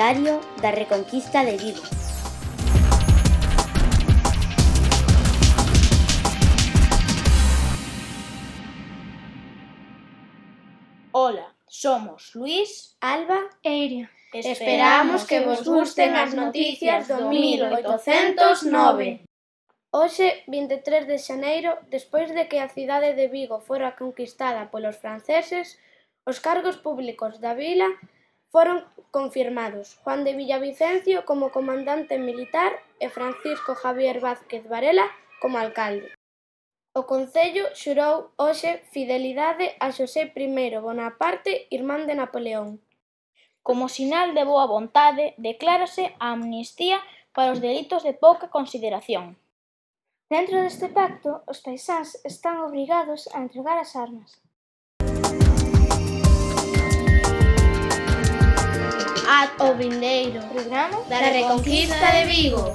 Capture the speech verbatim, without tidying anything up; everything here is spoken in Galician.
Diario da Reconquista de Vigo. Ola, somos Luís, Alba e Iria. Esperamos que vos gusten as noticias do mil oitocentos nove. Hoxe, vinte e tres de xaneiro, despois de que a cidade de Vigo fora conquistada polos franceses, os cargos públicos da vila foron confirmados: Juan de Villavicencio como comandante militar e Francisco Javier Vázquez Varela como alcalde. O concello xurou hoxe fidelidade a Xosé I Bonaparte, irmán de Napoleón. Como sinal de boa vontade, declárase a amnistía para os delitos de pouca consideración. Dentro deste pacto, os paisáns están obrigados a entregar as armas. Ata o vindeiro Programa da Reconquista de Vigo.